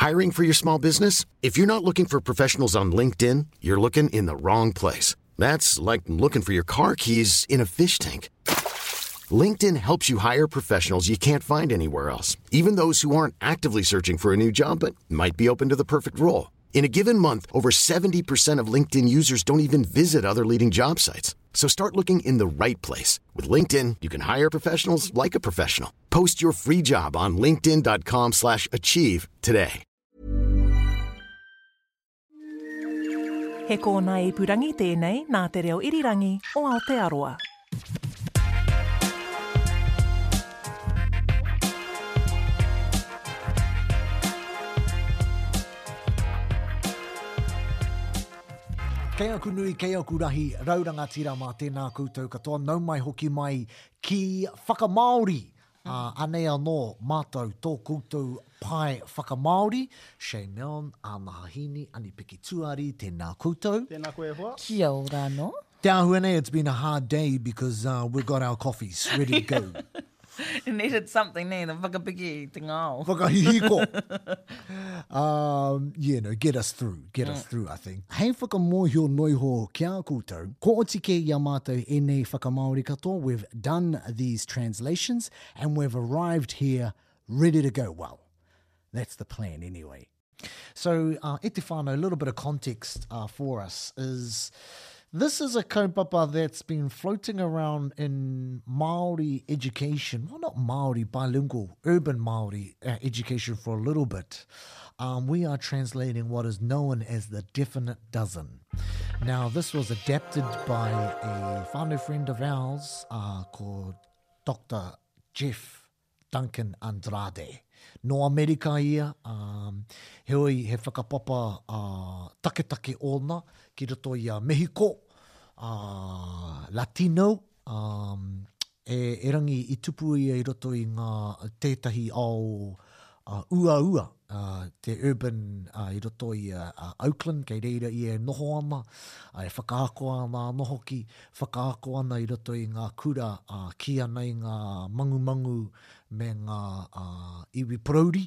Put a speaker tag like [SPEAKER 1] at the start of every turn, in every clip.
[SPEAKER 1] Hiring for your small business? If you're not looking for professionals on LinkedIn, you're looking in the wrong place. That's like looking for your car keys in a fish tank. LinkedIn helps you hire professionals you can't find anywhere else, even those who aren't actively searching for a new job but might be open to the perfect role. In a given month, over 70% of LinkedIn users don't even visit other leading job sites. So start looking in the right place. With LinkedIn, you can hire professionals like a professional. Post your free job on linkedin.com slash achieve today.
[SPEAKER 2] He kōnae ipurangi tēnei nā Te Reo Irirangi o Aotearoa.
[SPEAKER 3] Kei aku nui, kei aku rahi, rau rangatira mā tēnā koutou katoa, nau mai hoki mai ki Whakamāori! Ā, anei anō mātou tō koutou pae whakamāori, Shane Milne, Ānaha Hīni, Ani-Piki Tuari, tēnā koutou.
[SPEAKER 4] Tēnā koe e hoa.
[SPEAKER 5] Kia ora anō.
[SPEAKER 3] Te āhua nei, it's been a hard day because uh, we've got our coffees ready to go.
[SPEAKER 5] It needed something, nē, the whakapiki i te ngao.
[SPEAKER 3] Whakahihiko! um, yeah, no, get us through, get mm. us through, I think. Hei whakamōhio noiho ki a koutou, ko oti kē i a mātou ēnei whakamāori katoa, we've done these translations and we've arrived here ready to go. Well, that's the plan anyway. So, uh, e te whānau, a little bit of context uh, for us is this is a kaupapa that's been floating around in Māori education, well, not Māori, bilingual, urban Māori uh, education for a little bit. Um, we are translating what is known as the definite dozen. Now, this was adapted by a whānau friend of ours uh, called Dr. Jeff Duncan Andrade. Nō Amerika ia, ā, heoi he whakapapa taketake ōna ki roto i a Mehiko, ā, Latino, ā, e, erangi i tupu ia i roto i ngā, tētahi ao uaua, ā, te urban i roto i a Oakland, kei reira ia e noho ana, ā, e whakaako ana anō hoki, whakaako ana i roto i ngā kura, ā, kī ana i ngā mangumangu me ngā iwi porouri,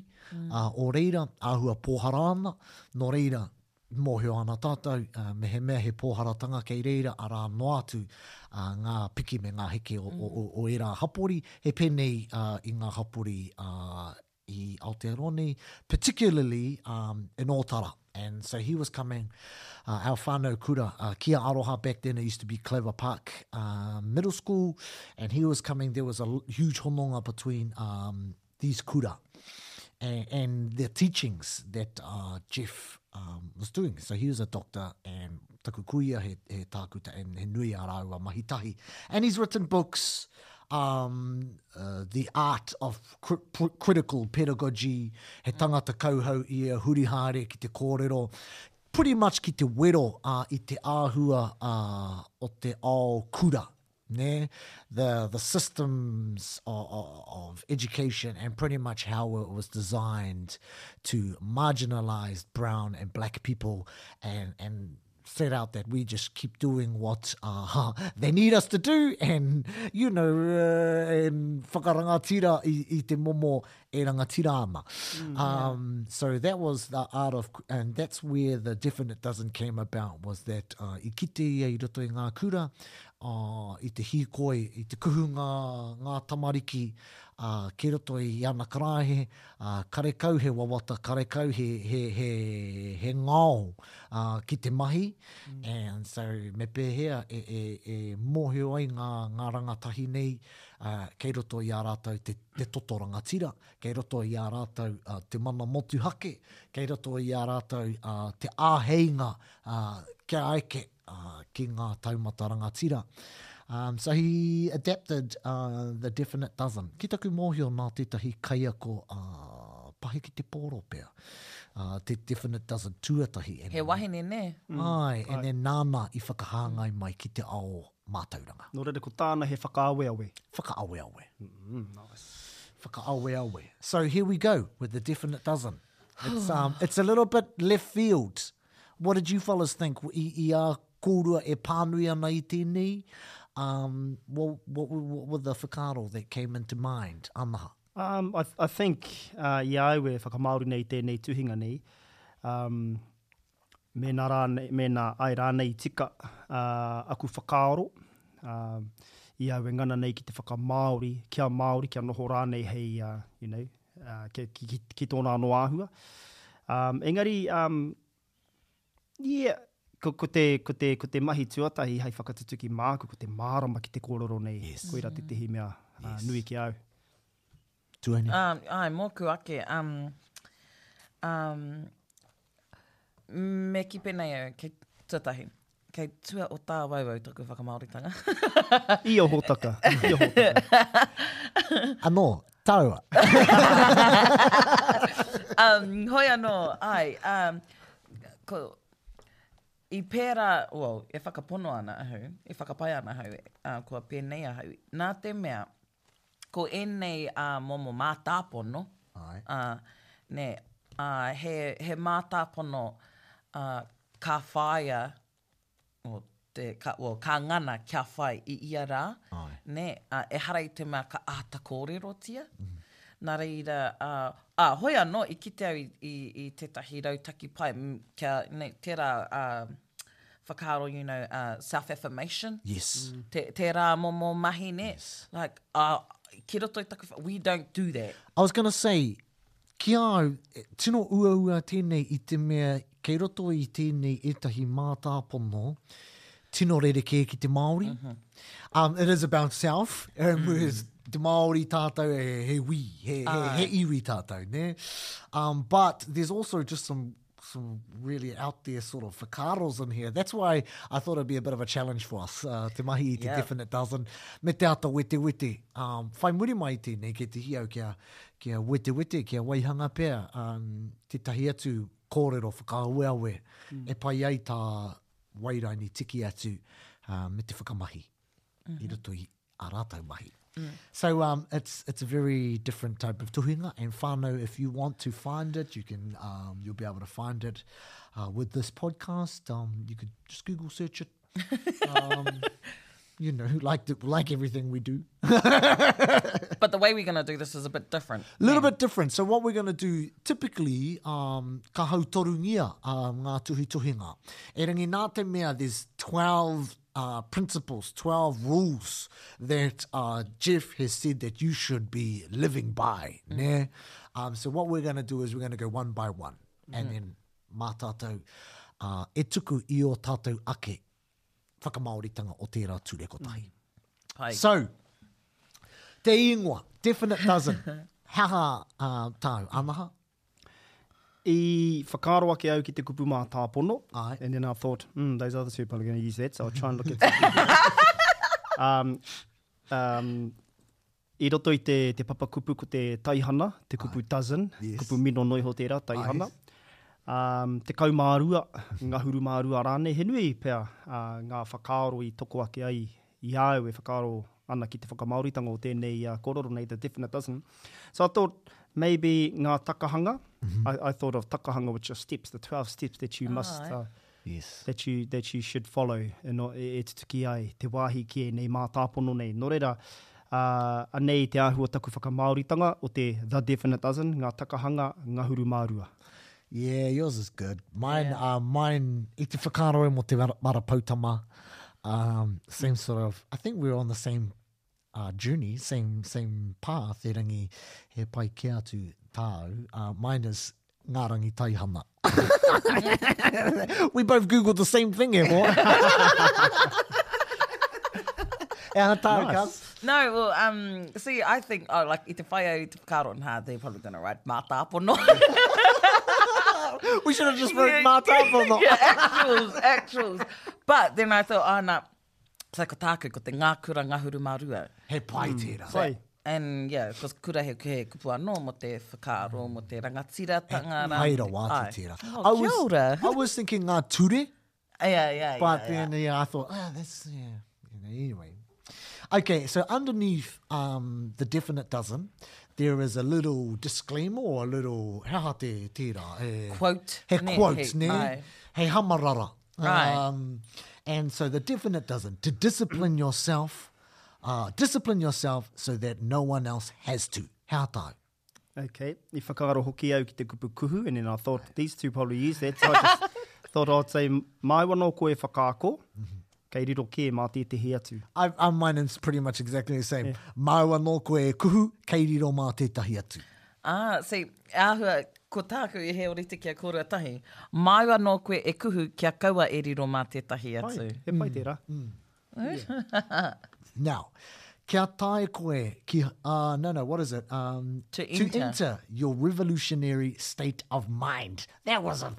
[SPEAKER 3] ā, o reira, āhua pōhara ana, nō reira, mōhio ana tātou, mehemea he pōharatanga kei reira, arā noa atu ngā piki me ngā heke o, o, o, o ērā hapori, he pēnei i ngā hapori i Aotearoa nei, particularly um, in Ōtara. And so he was coming, uh, our whānau kura, uh, Kia Aroha back then, it used to be Clever Park uh, Middle School, and he was coming, there was a huge hononga between um, these kura and, and the teachings that uh, Jeff um, was doing. So he was a doctor and taku kuia he, he tākuta and he nui a rāua mahi tahi. And he's written books, um, uh, The Art of Critical Pedagogy, he tangata kauhau ia huri haere ki te kōrero, pretty much ki te wero uh, i te āhua uh, o te ao kura. Ne? The, the systems of, of education and pretty much how it was designed to marginalize brown and black people and, and set out that we just keep doing what uh, they need us to do and, you know, uh, and whakarangatira i, i te momo e rangatira ana. Mm, um, yeah. So that was the art of, and that's where the definite dozen came about, was that uh, i kite ia i roto i ngā kura, uh, i te hīkoi, i te kuhu ngā, ngā tamariki, uh, ki roto i ana karaehe, uh, karekau he wawata, karekau he, he, he, he ngao uh, ki te mahi, mm. and so me pēhea e, e, e mōhio ai ngā, ngā rangatahi nei uh, kei roto i a rātou te, te toto rangatira, kei roto i a rātou uh, te mana motuhake, kei roto i a rātou uh, te āheinga uh, kia eke uh, ki ngā taumata rangatira. Um, so he adapted uh, the definite dozen. Ki taku mōhio nā tētahi kaiako uh, pahi ki te pōro pea. Uh, te definite dozen tuatahi.
[SPEAKER 5] And, He wahine, nē?
[SPEAKER 3] Mm. Ai, and then nāna i whakahāngai mai ki te ao mātauranga.
[SPEAKER 4] Nō reira, ko tāna he whakaaweawe.
[SPEAKER 3] Whakaaweawe.
[SPEAKER 4] Mm, nice.
[SPEAKER 3] Whakaaweawe. So here we go with the definite dozen. It's, um, it's a little bit left field. What did you fellas think i, i a kōrua e pānui ana i tēnei? Um, what, what, what were the whakaaro that came into mind? Anaha.
[SPEAKER 4] Um, I, I think uh, i a au e whakamāori nei i tēnei tuhinga nei, um, mēnā, rānei, mēnā ai rānei i tika uh, aku whakaaro, uh, i au e ngana nei ki te whakamāori, kia Māori, kia noho rānei hei, uh, you know, uh, ki, ki, ki, ki tōna anō āhua. Um, engari, um, yeah, ko, ko, te, ko, te, ko te mahi tuatahi hei whakatutuki māku, ko te mārama ki te kōrero nei.
[SPEAKER 3] Yes.
[SPEAKER 4] Koira tētehi mea uh,
[SPEAKER 3] Yes.
[SPEAKER 4] nui ki au.
[SPEAKER 3] Tuaine.
[SPEAKER 5] Um, ai, mōku ake, um, um, me ki pēnei au, kei tuatahi, kei tua o tāwauwau taku whakamāoritanga.
[SPEAKER 4] I o hōtaka, i o hōtaka.
[SPEAKER 3] Anō, tāua.
[SPEAKER 5] um, hoi anō, ai, um, ko, i pērā, well, e whakapono ana ahau, e whakapae ana ahau, uh, kua pēnei ahau, nā te mea, ko ēnei uh, momo mātāpono,
[SPEAKER 3] Ai.
[SPEAKER 5] uh, nē, uh, he, he mātāpono uh, ka whāia, o, te, ka, well, ka ngana kia whai i ia rā,
[SPEAKER 3] Ai.
[SPEAKER 5] nē, uh, ehara i te mea ka āta kōrerotia. Mm -hmm. Nā reira, uh, ā, hoi anō, i kite au i, i, i tētahi rautaki pai, kia, nē, tērā uh, whakaaro, you know, uh, self-affirmation.
[SPEAKER 3] Yes.
[SPEAKER 5] Mm. Te, tērā momo mahi, nē?
[SPEAKER 3] Yes.
[SPEAKER 5] Like, uh, ki roto i taku, we don't do that.
[SPEAKER 3] I was gonna say, ki a au, tino uaua tēnei i te mea kei roto i tēnei ētahi mātāpono tino rerekē ki te Māori. Mm -hmm. um, it is about self, um, mm. whereas te Māori tātou he, he we, he, he, he iwi tātou, ne? Um, but there's also just some some really out there sort of whakaaros in here. That's why I thought it'd be a bit of a challenge for us, uh, te mahi i te yeah. definite dozen, me te ata wete wete. Um, whai muri mai tēnei, kei te hi au kia, kia wete wete, kia waihanga pea, um, tētahi atu kōrero whakaaweawe mm. e pai ai tā Wairaini tiki atu uh, me te whakamahi mm -hmm. i roto i a rātou mahi. Mm. So um, it's it's a very different type of tuhinga and whānau, if you want to find it, you can um, you'll be able to find it uh, with this podcast. Um, you could just Google search it. Um, you know, like the, like everything we do.
[SPEAKER 5] But the way we're going to do this is a bit different.
[SPEAKER 3] A little bit different. So what we're going to do, typically, um, ka hautorungia um, ngā tuhituhinga. Erangi nā te mea, there's 12 uh, principles, 12 rules that uh, Jeff has said that you should be living by. Mm. Ne? Um, so what we're going to do is we're going to go one by one. Mm. And then mā tātou, uh, e tuku i o tātou ake whakamāoritanga o tērā ture kotahi. Mm.
[SPEAKER 5] Pai.
[SPEAKER 3] So, te ingoa, definite dozen. He aha uh, tāu, Anaha?
[SPEAKER 4] I whakaaro ake au ki te kupu mātāpono.
[SPEAKER 3] Ai.
[SPEAKER 4] And then I thought, mm, those other two probably going to use that, so I'll try and look at something. um, um, I roto i te, te papakupu ko te taihana, te kupu dozen,
[SPEAKER 3] Yes.
[SPEAKER 4] kupu mino noiho tērā, taihana. Um, 12, ngahuru mā rua rānei, he nui pea uh, ngā whakaaro i toko ake ai i a au e whakaaro ana ki te whakamāoritanga o tēnei uh, kōrero nei, the definite dozen. So I thought maybe ngā takahanga, mm -hmm. I, I thought of takahanga which are steps, the 12 steps that you must uh,
[SPEAKER 3] Yes.
[SPEAKER 4] that you, that you should follow e, no, e, e tutuki ai te wāhi ki ēnei mātāpono nei. Nō reira, uh, anei te āhua taku whakamāoritanga o te The Definite Dozen, ngā takahanga ngahuru mā rua.
[SPEAKER 3] Yeah, yours is good. Mine, yeah. uh, mine, i te whakaaro e mo te mara, mara poutama. Um, same sort of, I think we're on the same uh, journey, same, same path, erangi he pai ke atu tāu. Uh, mine is ngā rangi taihana. We both Googled the same thing, e hoa. E aha tāu,
[SPEAKER 4] Nice.
[SPEAKER 3] cuz?
[SPEAKER 5] No, well, um, see, I think, oh, like, i te whai au i te whakaaro, nah, they're probably going to write mātāpono.
[SPEAKER 3] We should have just wrote mātāpono.
[SPEAKER 5] yeah, actuals, actuals. But then I thought, oh, no. So ko tāku, ko te ngā kura ngahuru mā rua.
[SPEAKER 3] He pai tērā.
[SPEAKER 4] Pai.
[SPEAKER 5] And yeah, cause kura he, he kupu anō mo te whakaaro, mo te rangatiratanga. rā.
[SPEAKER 3] Pai rawa
[SPEAKER 5] Ai.
[SPEAKER 3] atu tērā.
[SPEAKER 5] Oh,
[SPEAKER 3] I
[SPEAKER 5] kia
[SPEAKER 3] was,
[SPEAKER 5] ora.
[SPEAKER 3] I was thinking ngā ture,
[SPEAKER 5] Yeah, yeah,
[SPEAKER 3] but
[SPEAKER 5] yeah,
[SPEAKER 3] then yeah. I thought, ah, that's, yeah. You know, anyway. Okay, so underneath um, the definite dozen, there is a little disclaimer or a little, he aha te tērā? He,
[SPEAKER 5] Quote,
[SPEAKER 3] He
[SPEAKER 5] ne,
[SPEAKER 3] quote,
[SPEAKER 5] he-
[SPEAKER 3] ne?
[SPEAKER 5] ai.
[SPEAKER 3] He hamarara.
[SPEAKER 5] Right.
[SPEAKER 3] Um, and so the definite dozen, to discipline yourself, Uh, discipline yourself so that no one else has to. He aha tāu?
[SPEAKER 4] Okay, i whakaaro hoki au ki te kupu kuhu, and then I thought these two probably use that, so I just thought I'd say, māu anō koe e whakaako, kei riro kē mā tētehi atu.
[SPEAKER 3] I, I, mine is pretty much exactly the same. Yeah. Māu anō koe e kuhu, kei riro mā tētahi atu.
[SPEAKER 5] Ah, see, āhua, ko tāku i he orite ki a kōrua tahi, māu anō koe e kuhu kia kaua e riro mā tētahi atu.
[SPEAKER 4] Pai, he pai tērā.
[SPEAKER 3] Yeah. Now, kia tae koe ki, uh, no, no, what is it? Um,
[SPEAKER 5] to enter.
[SPEAKER 3] To enter your revolutionary state of mind. That was a...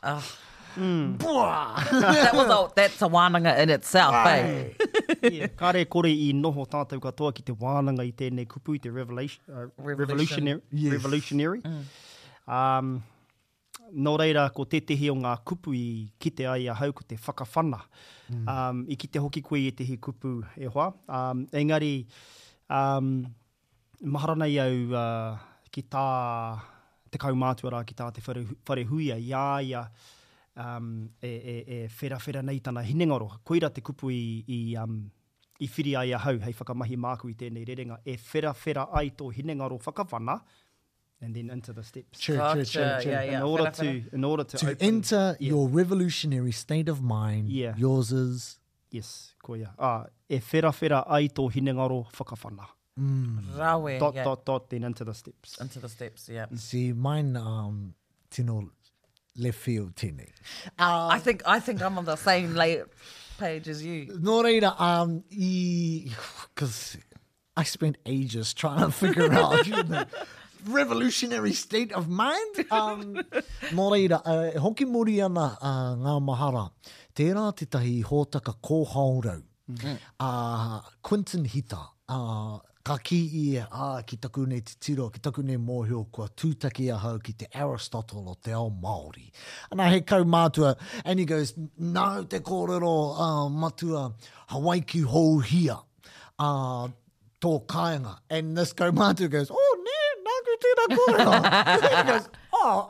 [SPEAKER 5] Uh. Mm. that was a, that's a wānanga in itself, eh?
[SPEAKER 4] yeah, kare kore i noho tātou katoa ki te wānanga i tēnei kupu, i te revelation, uh, revolutionary. Yes. Revolutionary. Mm. Um, Nō reira, ko tētehi o ngā kupu i kite ai ahau ko te whakawhana. Um, i kite hoki koe i ētehi kupu e hoa. Um, engari, um, mahara nei au uh, ki tā te kaumātua rā, ki tā te whare, wharehuia i a ia um, e, e, e wherawhera nei tana hinengaro. Koira te kupu i, i, um, i whiri ai ahau hei whakamahi māku i tēnei rerenga, e wherawhera ai tō hinengaro whakawhana, and then into the steps.
[SPEAKER 3] True, true, true, true.
[SPEAKER 5] Yeah, yeah.
[SPEAKER 4] In order to, in order to,
[SPEAKER 3] to
[SPEAKER 4] open,
[SPEAKER 3] enter
[SPEAKER 4] yeah.
[SPEAKER 3] your revolutionary state of mind,
[SPEAKER 4] yeah.
[SPEAKER 3] yours is...
[SPEAKER 4] Yes, koia. Ah, e wherawhera ai tō hinengaro whakawhana.
[SPEAKER 3] Mm.
[SPEAKER 5] Rawe,
[SPEAKER 4] Dot,
[SPEAKER 5] yeah.
[SPEAKER 4] dot, dot, then into the steps.
[SPEAKER 5] Into the steps, yeah.
[SPEAKER 3] See, mine, um, tino left field tēnei.
[SPEAKER 5] I think, I think I'm on the same late page as you.
[SPEAKER 3] Nō reira, um, i, cause I spent ages trying to figure out, you know, revolutionary state of mind. Um, nō reira, uh, e hoki muri ana uh, ngā mahara. Tērā tētahi hōtaka kōhaorau. Mm -hmm. uh, Quinton Hita, uh, ka kī ia, ah, ki taku nei titiro, ki taku nei mōhio, kua tūtaki ahau ki te Aristotle o te ao Māori. Ana he kaumātua, and he goes, nāu te kōrero uh, matua, Hawaiki houhia. uh, tō kāinga. And this kaumātua goes, oh, nē, nāku tērā kōrero. He goes, oh.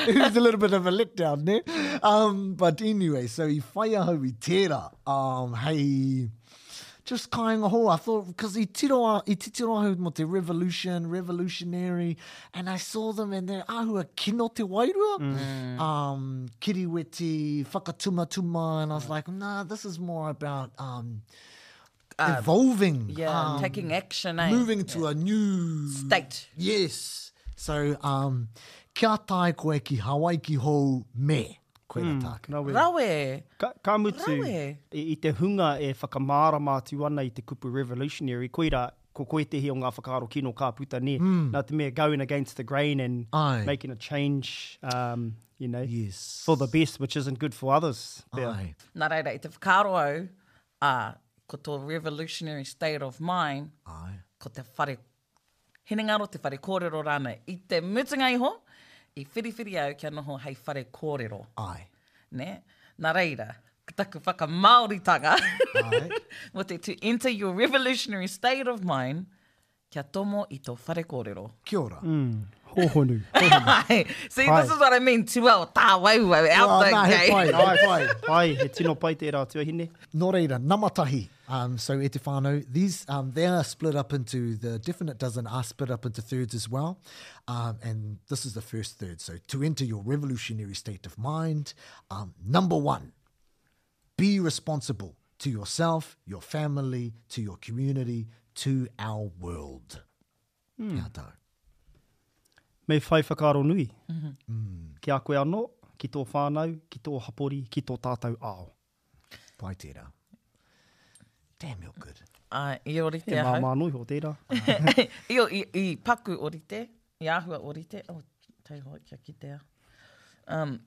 [SPEAKER 3] It was a little bit of a letdown, nē? Um, but anyway, so i whai ahau i tērā, um, hei, just kāinga hou. I thought, because i tiro, i titiro ahau mō te revolution, revolutionary, and I saw them and they're āhua kino te wairua. Mm. Um, kiriweti, whakatumatuma, and I was like, nah, this is more about um, um evolving.
[SPEAKER 5] Yeah, um, taking action, eh?
[SPEAKER 3] Moving to yeah. a new...
[SPEAKER 5] State.
[SPEAKER 3] Yes. So, um, kia tae koe ki Hawaiki hou me. Koe mm, tāku.
[SPEAKER 4] Rawe.
[SPEAKER 5] Rawe.
[SPEAKER 4] Ka, ka mutu,
[SPEAKER 5] Rawe.
[SPEAKER 4] I, i te hunga e whakamārama atu ana i te kupu revolutionary, koira ko koe tehi o ngā whakaaro kino ka puta, nē? Mm. Nā te mea going against the grain and
[SPEAKER 3] Ai.
[SPEAKER 4] making a change, um, you know,
[SPEAKER 3] yes.
[SPEAKER 4] for the best, which isn't good for others.
[SPEAKER 3] Ai.
[SPEAKER 5] Nā reira, i te whakaaro au, ā, ko tō revolutionary state of mind,
[SPEAKER 3] Ai.
[SPEAKER 5] ko te whare hinengaro, te whare kōrero rānei. I te mutunga iho, i whiriwhiri au kia noho hei whare kōrero.
[SPEAKER 3] Ai.
[SPEAKER 5] Nē? Nā reira, ko taku whakamāoritanga mō te to enter your revolutionary state of mind, kia tomo i tō whare kōrero.
[SPEAKER 3] Kia ora.
[SPEAKER 4] Mm, hōhonu, hōhonu.
[SPEAKER 5] See, this is what I mean, tua o tāwauwau, out
[SPEAKER 3] Well,
[SPEAKER 5] the
[SPEAKER 3] nā, he
[SPEAKER 5] gate.
[SPEAKER 3] pai, he pai.
[SPEAKER 4] Pai, he tino pai tērā tuahine.
[SPEAKER 3] Nō reira, nama tahi. Um, so e te whānau, these, um, they are split up into, the definite dozen are split up into thirds as well. Um, and this is the first third. So to enter your revolutionary state of mind, um, number one, be responsible to yourself, your family, to your community, to our world. Mm. Kia tau.
[SPEAKER 4] Me whai whakaaro nui. Mm -hmm. mm. Ki a koe anō, ki tō whānau, ki tō hapori, ki tō tātou ao.
[SPEAKER 3] Pai tērā. Damn, you're good.
[SPEAKER 5] Ai, i orite
[SPEAKER 4] He
[SPEAKER 5] ahau.
[SPEAKER 4] māmā noa iho tērā.
[SPEAKER 5] I, i, i paku orite, i āhua orite. Oh, taihoa kia kitea. Um,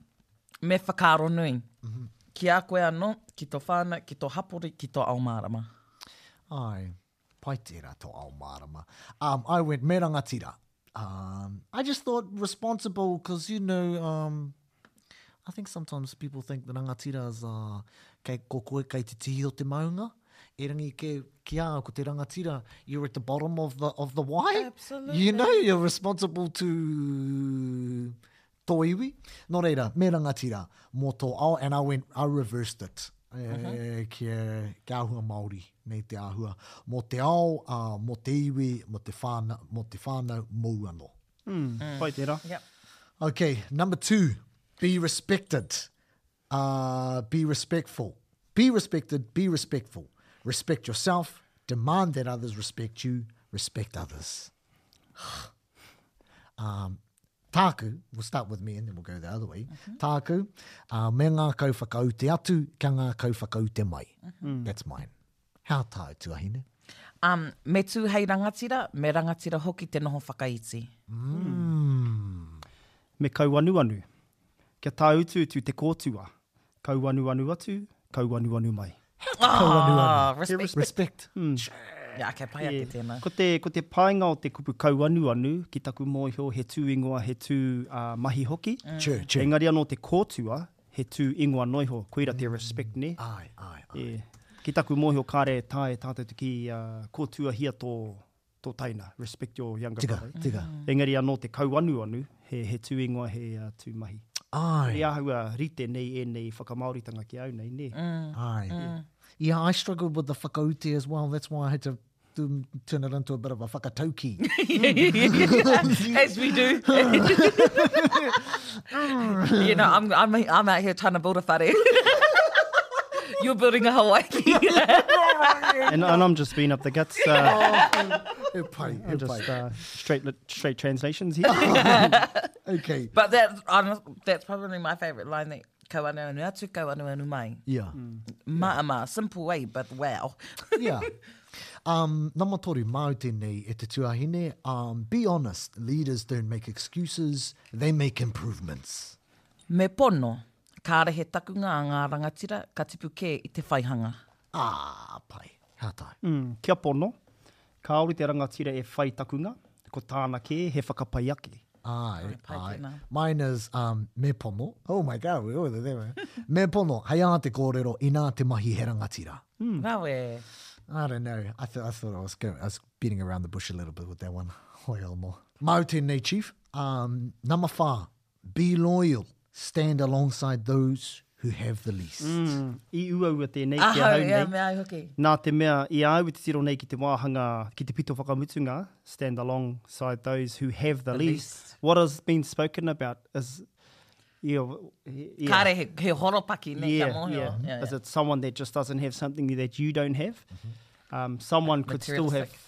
[SPEAKER 5] me whakaaro nui. Mm -hmm. Ki a koe anō, ki tō whānau, ki tō hapori, ki tō ao mārama.
[SPEAKER 3] Ai, pai tērā tō ao mārama. Um, I went me rangatira. Um, I just thought responsible because, you know, um, I think sometimes people think the rangatira is uh, kei, ko koe kei te tihi o te maunga. Erangi ke, ki a au, ko te rangatira, you're at the bottom of the, of the wai.
[SPEAKER 5] Absolutely.
[SPEAKER 3] You know, you're responsible to tō iwi. Nō reira, me rangatira mō tō ao, and I went, I reversed it. E, kia, kia āhua Māori nei te āhua. Mō te ao, ā, mō te iwi, mō te whānau, mō te whānau, mōu anō.
[SPEAKER 4] Mm, pai tērā.
[SPEAKER 5] Yep.
[SPEAKER 3] Okay, number two, be respected. Uh, be respectful. Be respected, be respectful. Respect yourself, demand that others respect you, respect others. um, tāku, we'll start with me and then we'll go the other way. Mm -hmm. Tāku, uh, me ngākau whakaute atu, kia ngākau whakaute mai. Mm -hmm. That's mine. How tāu tuahine?
[SPEAKER 5] Um, me tū hei rangatira, me rangatira hoki te noho whakaiti.
[SPEAKER 3] Mm.
[SPEAKER 4] Me kauanuanu. Kia tāutuutu te kōtua. Kauanuanu atu, kauanuanu mai.
[SPEAKER 3] Kauanuanu.
[SPEAKER 5] Ah, respect.
[SPEAKER 3] Respect.
[SPEAKER 4] Mm.
[SPEAKER 5] Yeah, okay, pai ake tēnā.
[SPEAKER 4] Ko te, ko te painga o te kupu kauanuanu, ki taku mōhio, he tū ingoa, he tū uh, mahi hoki.
[SPEAKER 3] Mm. True, true.
[SPEAKER 4] Engari anō te kōtua, he tū ingoa noa iho, koira te respect, nē?
[SPEAKER 3] Ai, ai, ai.
[SPEAKER 4] E, ki taku mōhio kāre e taea e tātou te kī uh, kōtuahia tō, tō taina, respect your younger
[SPEAKER 3] tika,
[SPEAKER 4] brother.
[SPEAKER 3] Tika,
[SPEAKER 4] mm. Engari anō te kauanuanu, he, he tū ingoa, he uh, tū mahi.
[SPEAKER 3] Ai.
[SPEAKER 4] I āhua rite nei ēnei whakamāoritanga ki au nei, nē?
[SPEAKER 5] Mm.
[SPEAKER 3] Ai.
[SPEAKER 5] Mm.
[SPEAKER 3] Yeah, I struggled with the whakaute as well. That's why I had to do, turn it into a bit of a whakatauki.
[SPEAKER 5] As we do. you know, I'm, I'm, I'm out here trying to build a whare. You're building a Hawaii.
[SPEAKER 4] and, and I'm just being up the guts. Uh,
[SPEAKER 3] oh, e pai, e
[SPEAKER 4] I'm just
[SPEAKER 3] pai.
[SPEAKER 4] uh, straight, straight translations here.
[SPEAKER 3] Okay.
[SPEAKER 5] But that, I'm, that's probably my favourite line that kau anu anu atu, kau anu anu mai.
[SPEAKER 3] Yeah.
[SPEAKER 5] Maama, simple way, but wow.
[SPEAKER 3] Yeah. Um, nama toru, māu tēnei e te tuahine. Um, be honest, leaders don't make excuses, they make improvements.
[SPEAKER 5] Me pono, kāre he takunga a ngā rangatira, ka tipu kē i te whaihanga.
[SPEAKER 3] Ah, pai. Hea tāu?
[SPEAKER 4] Mm, kia pono, kāore te rangatira e whai takunga, ko tāna kē he whakapai ake.
[SPEAKER 3] Ai,
[SPEAKER 5] pai
[SPEAKER 3] ai.
[SPEAKER 5] tēnā.
[SPEAKER 3] Mine is um, me pono. Oh my God, we all there. Me pono, hei ā te kōrero, inā te mahi he rangatira.
[SPEAKER 5] Rawe.
[SPEAKER 3] I don't know. I, th I thought I was going, I was beating around the bush a little bit with that one. Hoi anō. Māu tēnei, Chief. Um, number whā, be loyal. Stand alongside those who have the least.
[SPEAKER 4] Mm, i uaua tēnei ki
[SPEAKER 5] Ahau,
[SPEAKER 4] ahau
[SPEAKER 5] yeah,
[SPEAKER 4] nei.
[SPEAKER 5] me au hoki.
[SPEAKER 4] Nā te mea, i a au i te tiro nei ki te wāhanga, ki te pito whakamutunga, stand alongside those who have the,
[SPEAKER 5] The
[SPEAKER 4] least.
[SPEAKER 5] least.
[SPEAKER 4] What has been spoken about is, yeah, yeah.
[SPEAKER 5] Kāre he, he horopaki nei
[SPEAKER 4] yeah,
[SPEAKER 5] ka mōhio.
[SPEAKER 4] yeah.
[SPEAKER 5] Yeah,
[SPEAKER 4] Is
[SPEAKER 5] yeah.
[SPEAKER 4] it someone that just doesn't have something that you don't have? Um, someone could still have
[SPEAKER 5] Materialistic.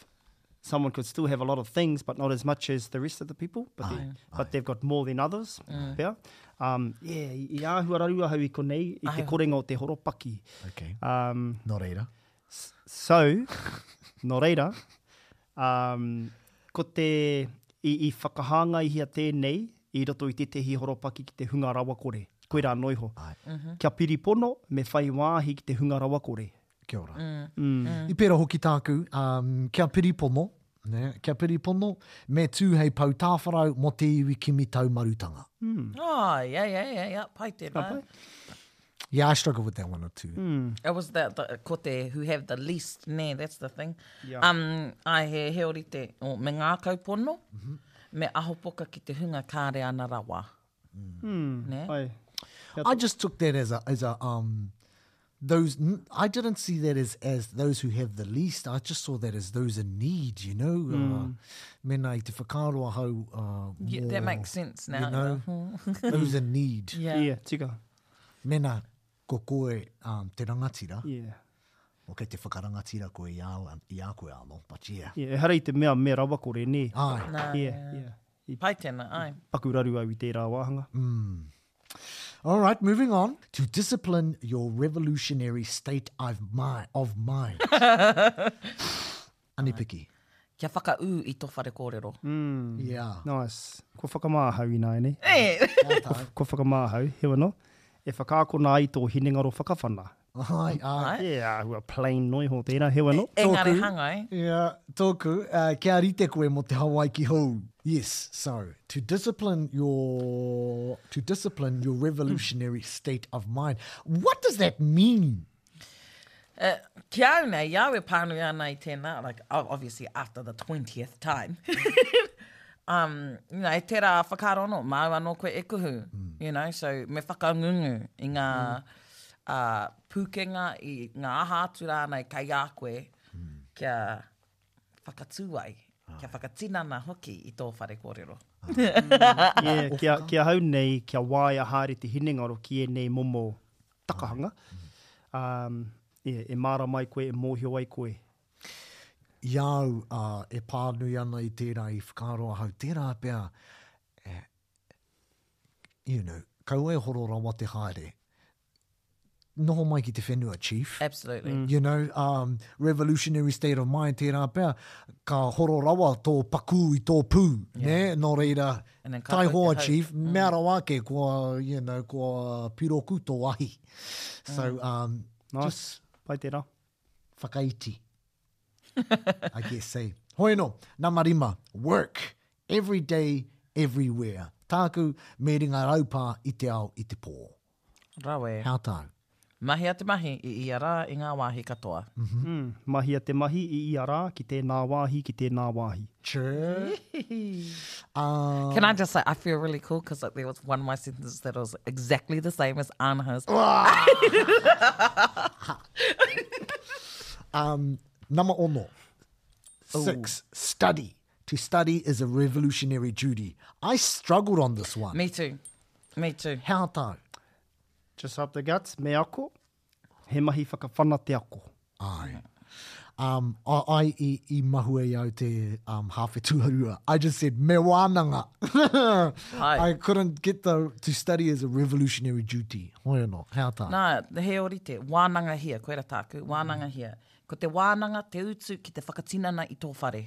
[SPEAKER 4] someone could still have a lot of things, but not as much as the rest of the people. But, they, but they've got more than others.
[SPEAKER 5] Mm.
[SPEAKER 4] Pea. Um, yeah, i i āhua raru ahau i konei, i te
[SPEAKER 5] Ai.
[SPEAKER 4] korenga o te horopaki.
[SPEAKER 3] Okay.
[SPEAKER 4] Um,
[SPEAKER 3] Nō reira.
[SPEAKER 4] so, nō reira, um, ko te, i, i whakahāngaihia tēnei i roto i tētehi horopaki ki te hunga rawakore. Koirā noa iho.
[SPEAKER 3] Ai.
[SPEAKER 4] Kia piripono, me whai wāhi ki te hunga rawakore.
[SPEAKER 3] Kia ora.
[SPEAKER 4] Mm.
[SPEAKER 3] I pērā hoki tāku, um, kia piripono, ne, kia piripono, me tū hei pou tāwharau mō te iwi kimi taumarutanga.
[SPEAKER 5] Oh, yeah, yeah, yeah, yeah. Pai tēnā.
[SPEAKER 4] pai.
[SPEAKER 3] Yeah, I struggle with that one or two.
[SPEAKER 5] It was that the, ko te who have the least, nē, that's the thing.
[SPEAKER 4] Yeah.
[SPEAKER 5] Um, ai, he, he orite, o, me ngākau pono, me ahopoka ki te hunga kāre ana rawa.
[SPEAKER 4] Mm.
[SPEAKER 5] Nē?
[SPEAKER 4] Ai.
[SPEAKER 3] I just took that as a, as a, um, those, I didn't see that as, as those who have the least. I just saw that as those in need, you know. Uh, mena i te whakaaro ahau, uh,
[SPEAKER 5] Yeah, that
[SPEAKER 3] mō,
[SPEAKER 5] makes sense now.
[SPEAKER 3] You know, those in need.
[SPEAKER 5] Yeah.
[SPEAKER 4] Yeah, tika.
[SPEAKER 3] Mena ko koe um, te rangatira,
[SPEAKER 4] Yeah.
[SPEAKER 3] o kei te whakarangatira koe i a, i a koe anō, but yeah.
[SPEAKER 4] Yeah, ehara i te mea me rawakore, nē.
[SPEAKER 3] Ai.
[SPEAKER 5] Nā,
[SPEAKER 4] Yeah, yeah. I
[SPEAKER 5] Pai tēnā, ai.
[SPEAKER 4] paku raru au i tērā wāhanga.
[SPEAKER 3] All right, moving on. To discipline your revolutionary state of, mi of mind. Anipiki.
[SPEAKER 5] Kia whakaū i tō whare kōrero.
[SPEAKER 3] Yeah.
[SPEAKER 4] Nice. Kua whakamāhau ināianei.
[SPEAKER 5] Eh!
[SPEAKER 4] Kua whakamāhau, heoi anō. E whakaakona ai tō hinengaro whakawhana.
[SPEAKER 3] Ai, ai.
[SPEAKER 4] Yeah, āhua plain noa iho tērā, heoi anō.
[SPEAKER 5] Engari
[SPEAKER 3] Tōku.
[SPEAKER 5] hangai.
[SPEAKER 3] Yeah, tōku, uh, kia rite koe mō te Hawaiki hou. Yes, so to discipline your to discipline your revolutionary state of mind. What does that mean?
[SPEAKER 5] Uh, ki au nei, i au e pānui ana i tēnā, like, obviously after the 20th time. um, you know, tērā whakaaro anō, māu anō koe e kuhu, you know, so me whakangungu i ngā, pūkenga, i ngā aha atu rānei kei a koe kia whakatū ai, kia whakatinana hoki i tō whare kōrero.
[SPEAKER 4] Yeah, ki, a, ki ahau nei, kia waia haere te hinengaro ki ēnei momo takahanga, um, yeah, e mārama ai koe, e mōhio ai koe.
[SPEAKER 3] I a au uh, e pānui ana i tērā i whakaaro ahau, tērā pea, eh, you know, kaua e horo rawa te haere. Noho mai ki te whenua, chief.
[SPEAKER 5] Absolutely.
[SPEAKER 3] Mm. You know, um, revolutionary state of mind, tērā pea, ka horo rawa tō pakū i tō pū, yeah. ne? Nō reira, taihoa, chief, mm. mea rawa ake, kua, you know, kua piroku tō ahi. So, mm. um,
[SPEAKER 4] nice.
[SPEAKER 3] just...
[SPEAKER 4] Pai tērā.
[SPEAKER 3] Whakaiti. I guess, eh? Hoi anō, nama rima, work, every day, everywhere. Tāku, me ringa raupā i te ao i te pō.
[SPEAKER 5] Rawe.
[SPEAKER 3] How tāu?
[SPEAKER 5] Mahia te mahi i ia rā i ngā wāhi katoa.
[SPEAKER 4] Mm, mahia te mahi i ia rā ki tēnā wāhi, ki tēnā wāhi.
[SPEAKER 3] True.
[SPEAKER 5] Can I just say, I feel really cool because like, there was one of my sentences that was exactly the same as Anaha's.
[SPEAKER 3] Um, nama ono. Six, Ooh. study. To study is a revolutionary duty. I struggled on this one.
[SPEAKER 5] Me too. Me too.
[SPEAKER 3] How tāu?
[SPEAKER 4] Just up the guts, me ako. He mahi whakawhana te ako.
[SPEAKER 3] Ai. Um, I, I, i, i mahue i au te um, hāwhe tuarua. I just said, me wānanga. I couldn't get the, to study as a revolutionary duty. Hoi anō, hea tā?
[SPEAKER 5] Nā, he ōrite, wānangahia, koira tāku, wānangahia. Ko te wānanga te utu ki te whakatinana i tō whare.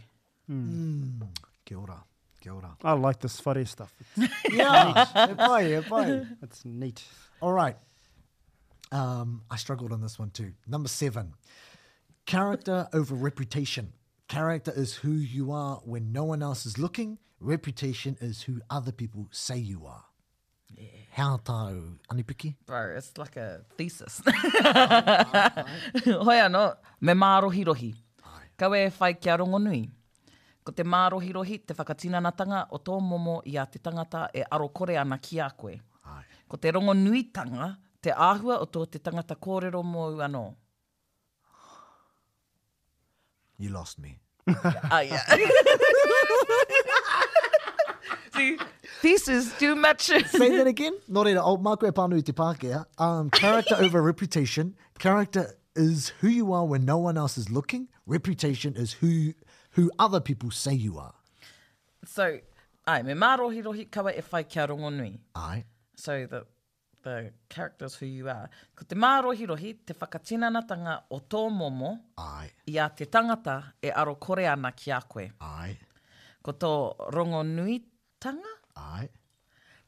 [SPEAKER 3] Mm. Kia ora, kia ora.
[SPEAKER 4] I like this whare stuff.
[SPEAKER 3] It's yeah, e pai, e pai.
[SPEAKER 4] It's neat.
[SPEAKER 3] All right. Um, I struggled on this one too. Number seven, character over reputation. Character is who you are when no one else is looking. Reputation is who other people say you are. Yeah. How tāu, Anipiki?
[SPEAKER 5] Bro, it's like a thesis. Hoi anō, me mārohirohi. Kaua e whai kia rongonui. Ko te mārohirohi te whakatinanatanga o tō momo i a te tangata e aro kore ana ki a koe. Ko te rongonuitanga te āhua o tō te tangata kōrero mōu anō.
[SPEAKER 3] You lost me.
[SPEAKER 5] Oh, yeah. See, thesis too much.
[SPEAKER 3] Say that again. Nō reira, oh, māku e pānui te Pākehā. Um, character over reputation. Character is who you are when no one else is looking. Reputation is who, who other people say you are.
[SPEAKER 5] So, ai, me mārohirohi kaua e whai kia rongonui.
[SPEAKER 3] Ai.
[SPEAKER 5] So, the, the characters who you are. Ko te mārohirohi te whakatinanatanga o tō momo
[SPEAKER 3] Ai.
[SPEAKER 5] i a te tangata e aro kore ana ki a koe.
[SPEAKER 3] Ai.
[SPEAKER 5] Ko tō rongonuitanga?
[SPEAKER 3] Ai.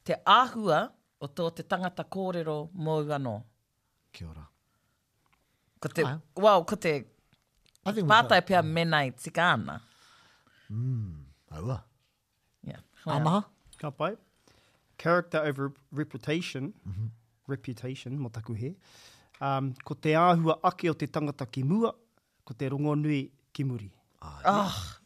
[SPEAKER 5] Te āhua o tō te tangata kōrero mōu anō.
[SPEAKER 3] Kia ora.
[SPEAKER 5] Ko te, Ai. well, ko te
[SPEAKER 3] I think
[SPEAKER 5] pātai pea mena e tika ana.
[SPEAKER 3] Mm, aua.
[SPEAKER 5] Yeah.
[SPEAKER 3] Amaha?
[SPEAKER 4] Ka pai. Character over reputation, mm -hmm. reputation, mo taku he. Um, ko te āhua ake o te tangata ki mua, ko te rongonui ki muri.
[SPEAKER 3] Ai.
[SPEAKER 5] Oh.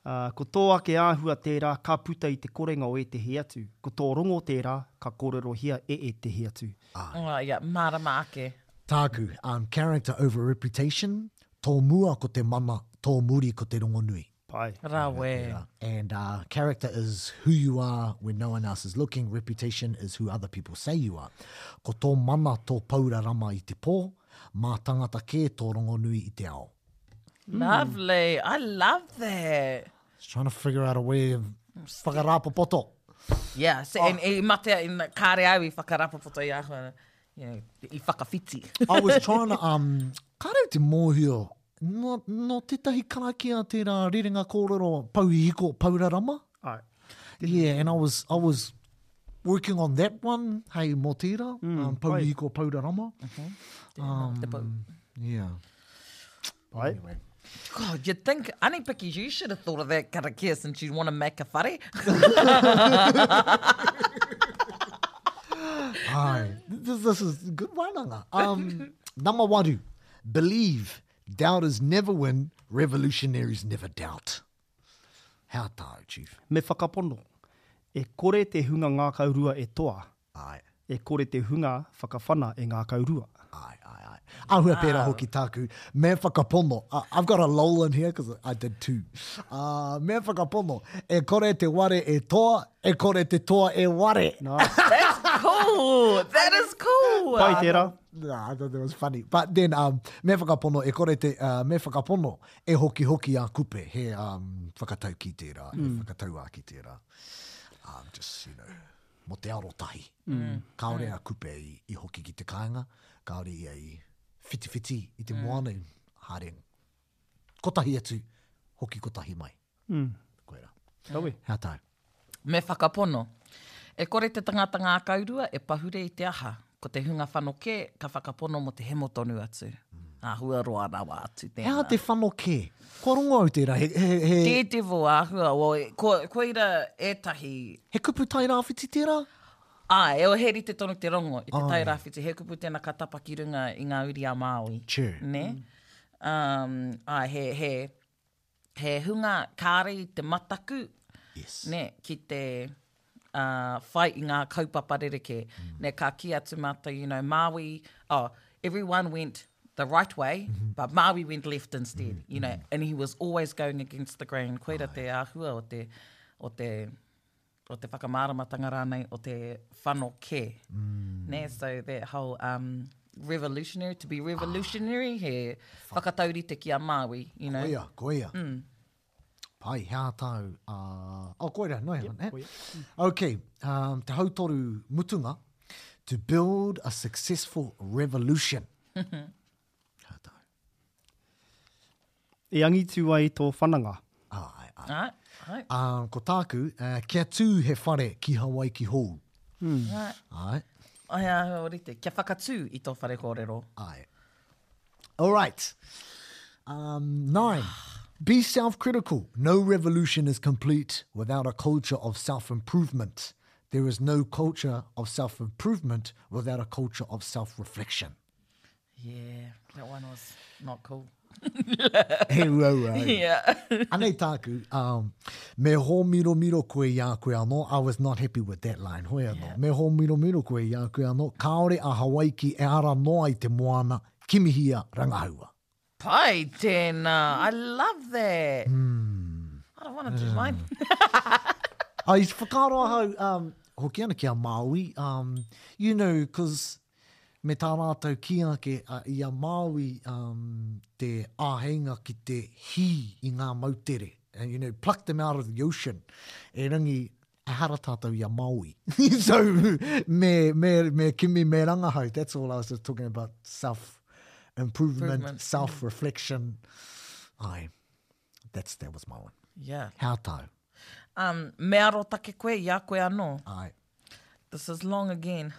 [SPEAKER 4] Uh, ko tō ake āhua tērā ka puta i te korenga o ētehi atu. Ko tō rongo tērā ka kōrerohia e ētehi atu.
[SPEAKER 3] Ai.
[SPEAKER 5] Oh, yeah, mārama ake.
[SPEAKER 3] Tāku, um, character over reputation, tō mua ko te mana, tō muri ko te rongonui.
[SPEAKER 4] Pai.
[SPEAKER 5] Rawe.
[SPEAKER 3] And uh, character is who you are when no one else is looking. Reputation is who other people say you are. Ko tō mana tō paura rama i te pō, mā tangata kē tō rongonui i te ao.
[SPEAKER 5] Lovely. I love that.
[SPEAKER 3] Just trying to figure out a way of whakarapopoto.
[SPEAKER 5] Yeah, so, oh. and, i matea, in, kāre au i whakarapopoto i ahua, you know, i whakawhiti.
[SPEAKER 3] I was trying to, um, kāre au te mōhio, Nō, nō tētahi karakia tērā rerenga kōrero Pouhiko Paurarama?
[SPEAKER 4] Ai.
[SPEAKER 3] Yeah, and I was, I was working on that one, hei mō tērā, mm, um, Pouhiko Paurarama.
[SPEAKER 5] Mm -hmm. um, Te pou.
[SPEAKER 3] Yeah.
[SPEAKER 4] Pai.
[SPEAKER 3] Anyway.
[SPEAKER 5] God, you'd think, Anipiki, you should have thought of that karakia since you want to make a whare.
[SPEAKER 3] Ai, this, this is good wānanga. Um, nama waru, believe, doubters never win, revolutionaries never doubt. How tāu, Chief?
[SPEAKER 4] Me whakapono, e kore te hunga ngākau rua e toa.
[SPEAKER 3] Ai.
[SPEAKER 4] E kore te hunga whakawhana e ngākau rua.
[SPEAKER 3] Āe, āe, āe. Āhua pērā hoki tāku, me whakapono, I've got a lol in here because I did too. Uh, me whakapono, e kore te ware e toa, e kore te toa e ware.
[SPEAKER 4] Nice.
[SPEAKER 5] That's cool. That is cool.
[SPEAKER 4] Pai tērā.
[SPEAKER 3] Nah, I thought that was funny. But then, um, me whakapono, e kore te, uh, me whakapono, e hoki hoki a kupe, he um, whakataukī tērā, mm. he whakatauākī tērā. Um, just, you know, mō te arotahi. Mm. Kāore mm. a Kupe i, i hoki ki te kāinga, kāore ia i whitiwhiti i te mm. moana, i haere kotahi atu, hoki kotahi mai.
[SPEAKER 4] Mm.
[SPEAKER 3] Koira.
[SPEAKER 4] Rawe.
[SPEAKER 3] Hea tāu?
[SPEAKER 5] Me whakapono. E kore te tangata ngākaurua e pahure i te aha. Ko te hunga whanokē ka whakapono mō te hemo tonu atu. Mm. Āhua roa rawa atu tēnā.
[SPEAKER 3] He aha te whanokē? Kua rongo au tērā, he, he, he...
[SPEAKER 5] Daredevil āhua, o, ko, koira ētahi...
[SPEAKER 3] He kupu Tairāwhiti tērā?
[SPEAKER 5] Āe, e, he rite tonu te rongo i te Tairāwhiti, he kupu tēnā ka tapa ki runga i ngā uri a Māui.
[SPEAKER 3] True.
[SPEAKER 5] Nē? Um, āe, he, he, he hunga kāre i te mataku,
[SPEAKER 3] yes.
[SPEAKER 5] nē, ki te uh, whai i ngā kaupapa rerekē. Mm. Nē, ka kī atu mātou, you know, Māui, oh, everyone went the right way, mm -hmm. but Māui went left instead, mm -hmm. you know, mm. and he was always going against the grain. Koira te āhua o te, o te, o te whakamāramatanga rānei o te whano kē. Mm. Nē, so that whole um, revolutionary, to be revolutionary, ah. he whakataurite ki a Māui, you know.
[SPEAKER 3] Koia, koia. Mm. Pai, he aha tāu? Uh, oh, koira, no yep, eh? Okay, um, te hautoru mutunga, to build a successful revolution. He aha tāu?
[SPEAKER 4] E angitu ai tō whananga.
[SPEAKER 3] Ai, ai.
[SPEAKER 5] Ai, ai.
[SPEAKER 3] Um, ko tāku, uh, kia tū he whare ki Hawaiki hou.
[SPEAKER 5] Mm. Ai.
[SPEAKER 3] Ai.
[SPEAKER 5] Ai, ai, orite. Kia whakatū i tō whare kōrero.
[SPEAKER 3] Ai. All right. Um, nine. Be self-critical. No revolution is complete without a culture of self-improvement. There is no culture of self-improvement without a culture of self-reflection.
[SPEAKER 5] Yeah, that one was not cool.
[SPEAKER 3] He uaua.
[SPEAKER 5] Yeah.
[SPEAKER 3] Anei tāku, um, me hōmiromiro koe i a koe anō, I was not happy with that line, hoi anō. Yeah. Me hōmiromiro koe i a koe anō, kāore a Hawaiki e ara noa i te moana, kimihia rangahaua.
[SPEAKER 5] Pai tēnā, I love that.
[SPEAKER 3] Mm.
[SPEAKER 5] I don't want to do mine.
[SPEAKER 3] Ai, whakaaro ahau, um, hoki ana ki a Māui, um, you know, cause me tā rātou kī ake i a Māui te āheinga ki te hī i ngā moutere, you know, pluck them out of the ocean, erangi, ehara tātou i a Māui. So, me, me, me kimi, me rangahau, that's all I was just talking about, self-improvement, self-reflection. Ai, that's, that was my one.
[SPEAKER 5] Yeah.
[SPEAKER 3] How tāu?
[SPEAKER 5] Um, me arotake koe i a koe anō.
[SPEAKER 3] Ai.
[SPEAKER 5] This is long again.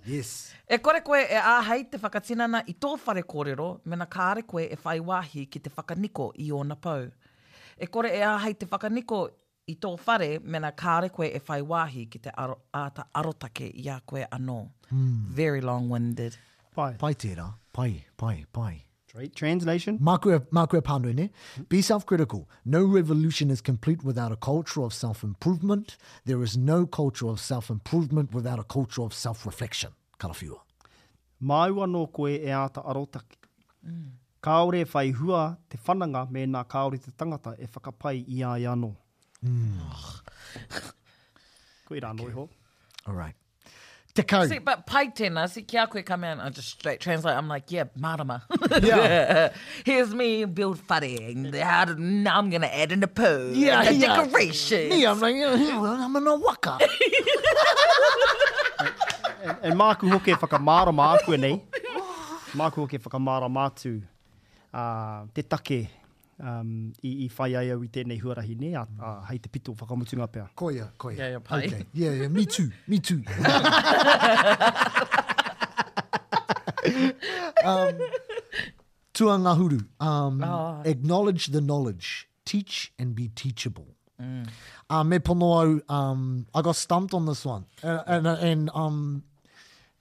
[SPEAKER 3] Yes.
[SPEAKER 5] E kore koe e āhei te whakatinana i tō whare kōrero mena kāre koe e whai wāhi ki te whakaniko i ōna pou. E kore e āhei te whakaniko i tō whare mena kāre koe e whai wāhi ki te aro, āta arotake i a koe anō. Very long-winded.
[SPEAKER 4] Pai.
[SPEAKER 3] Pai tērā. Pai, pai, pai.
[SPEAKER 4] Straight translation.
[SPEAKER 3] Māku e, māku e pānui, ne? Be self-critical. No revolution is complete without a culture of self-improvement. There is no culture of self-improvement without a culture of self-reflection. Karawhiua.
[SPEAKER 4] Māu anō koe e āta arotake. Kāore e whai hua te whananga mēnā kāore te tangata e whakapai i a ia anō. Koirā anō iho.
[SPEAKER 3] All right. Tekau.
[SPEAKER 5] See, but pai tēnā, see, ki a koe ka mea, I just straight translate, I'm like, yeah, mārama.
[SPEAKER 3] Yeah.
[SPEAKER 5] Here's me, build whare, and how to, now I'm gonna add in a poo,
[SPEAKER 3] Yeah,
[SPEAKER 5] and the
[SPEAKER 3] yeah.
[SPEAKER 5] decorations.
[SPEAKER 3] Me, I'm like, yeah, well, I'm in a waka.
[SPEAKER 4] And, and māku hoki e whakamārama āku nei, māku hoki e whakamārama atu uh, te take um, i, i whai ai au i tēnei huarahi, nē, a, a, hei te pito whakamutunga pea.
[SPEAKER 3] Koia, koia.
[SPEAKER 5] Yeah, yeah, pai.
[SPEAKER 3] Okay. Yeah, yeah, me too, me too. um, tuangahuru, um,
[SPEAKER 5] oh.
[SPEAKER 3] acknowledge the knowledge, teach and be teachable. Mm. Uh, me pono au, um, I got stumped on this one. And, and, and, um,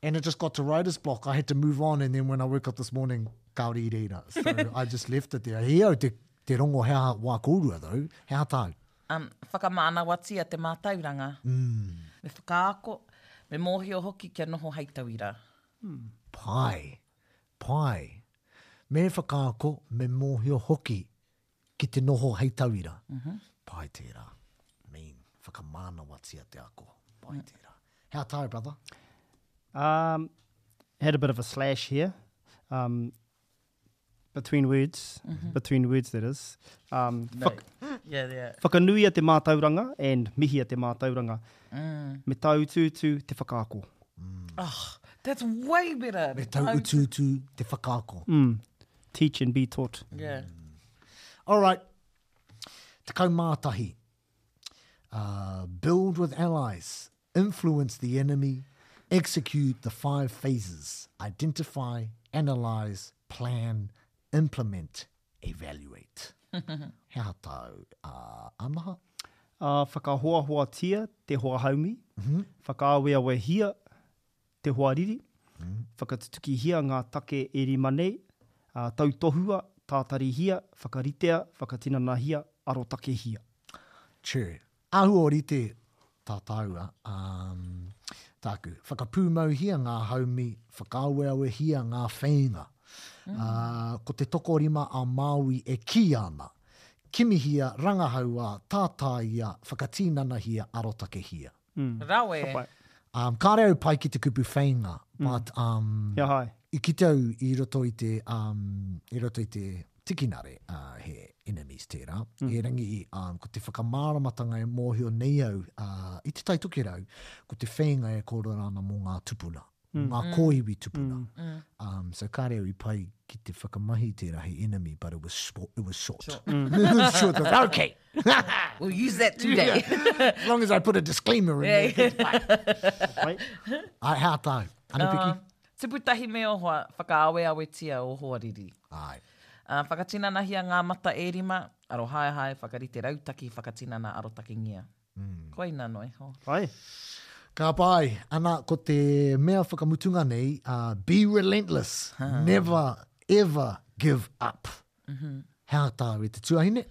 [SPEAKER 3] and it just got to writer's block. I had to move on, and then when I woke up this morning, kāore i reira. So I just left it there. He au te, te rongo he aha wā kōrua though, he aha tāu?
[SPEAKER 5] Um, whakamānawatia te mātauranga.
[SPEAKER 3] Mm.
[SPEAKER 5] Me whakaako, Me mōhio hoki kia noho hei tauira.
[SPEAKER 3] Pai. Pai. Me whakaako, me mōhio hoki ki te noho hei tauira. Pai tērā. Mean, whakamānawatia te ako. Pai tērā. He aha tāu, brother?
[SPEAKER 4] Um, had a bit of a slash here. Um, between words, mm -hmm. between words that is. Um,
[SPEAKER 5] no. yeah, yeah.
[SPEAKER 4] Whakanuia te mātauranga and mihia te mātauranga. Mm. Me taututu te whakaako.
[SPEAKER 5] Mm. Oh, that's way better.
[SPEAKER 3] Me taututu te whakaako.
[SPEAKER 4] Mm. Teach and be taught.
[SPEAKER 5] Yeah. Mm.
[SPEAKER 3] All right. 11. Uh, build with allies, influence the enemy, execute the five phases, identify, analyze, plan, implement, evaluate. He aha tāu, uh, Anaha?
[SPEAKER 4] Uh, whakahoahoatia te hoa haumi, mm -hmm. whakaaweawehia te hoariri, mm. whakatutukihia ngā take e rima nei, uh, tautohua, tātarihia, whakaritea, whakatinanahia, arotakehia.
[SPEAKER 3] True. Āhua ōrite tā tāua, um, tāku. Whakapūmauhia ngā haumi, whakaaweawehia ngā wheinga. Mm. Uh, ko te tokorima a Māui e kī ana. Kimihia, rangahaua, tātāia, whakatīnanahia, arotakehia.
[SPEAKER 5] Mm. Rawe.
[SPEAKER 4] Ka pai.
[SPEAKER 3] Um, kāre au pai ki te kupu wheinga, mm. but um,
[SPEAKER 4] Kia hai.
[SPEAKER 3] i kite au i roto i te, um, i roto i te tikinare, uh, he enemies tērā. Mm. Erangi, um, ko te whakamāramatanga e mōhio nei au uh, i te Tai Tokerau, ko te wheinga e kōrero ana mō ngā tupuna, mm. ngā mm. kōiwi tupuna. Mm. mm. Um, so kāre au i pai ki te whakamahi tērā he enemy, but it was, it was short.
[SPEAKER 5] short.
[SPEAKER 3] Mm. it was short. Okay.
[SPEAKER 5] We'll use that today.
[SPEAKER 3] Yeah. As long as I put a disclaimer in there. Pai. Ai, hea tāu? Anapiki?
[SPEAKER 5] Uh, tupu tahi me o hoa, whakaaweawetia o hoariri.
[SPEAKER 3] Ai.
[SPEAKER 5] Uh, whakatinanahia ngā mata e rima, arohaehae, whakarite rautaki, whakatinana arotakengia. Mm. Koina noa iho.
[SPEAKER 4] Pai.
[SPEAKER 3] Ka pai. Ana, ko te mea whakamutunga nei, uh, be relentless, ha. never ever give up. Mm -hmm. He aha tāu e te tuahine?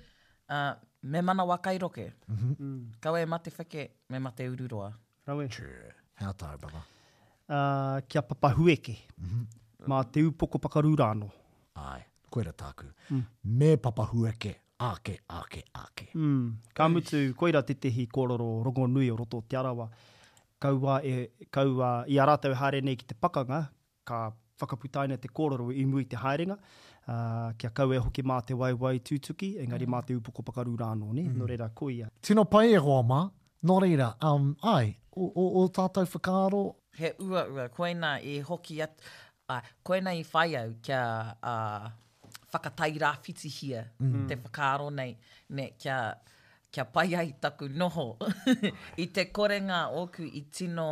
[SPEAKER 5] Uh, me manawa kai roke. Mm -hmm. mm. Kaua e mate wheke, me mate ururoa.
[SPEAKER 4] Rawe.
[SPEAKER 3] True. He aha tāu, brother?
[SPEAKER 4] Uh, kia papahueke. Mm -hmm. Mā te upoko pakaru rāno.
[SPEAKER 3] Ai, koira tāku. Mm. Me papahueke, ake, ake, ake.
[SPEAKER 4] Mm. Ka mutu, koira tētehi kōrero rongonui o roto o Te Arawa. Kaua e, kaua, i a rātou e haere nei ki te pakanga, Ka whakaputaina te kōrero i mua i te haerenga, ā, kia kaua e hoki mā te waewae tūtuki, engari mā te upoko pakaru rā anō, nē? Nō reira, koia.
[SPEAKER 3] Tino pai e hoa mā. Nō reira, um, āe, o, o, ō tātou whakaaro.
[SPEAKER 5] He uaua, koinā i hoki atu, ā, koinā i whai au kia, ā, whakatairāwhitihia te whakaaro nei, nē, kia, kia pai ai taku noho i te korenga ōku i tino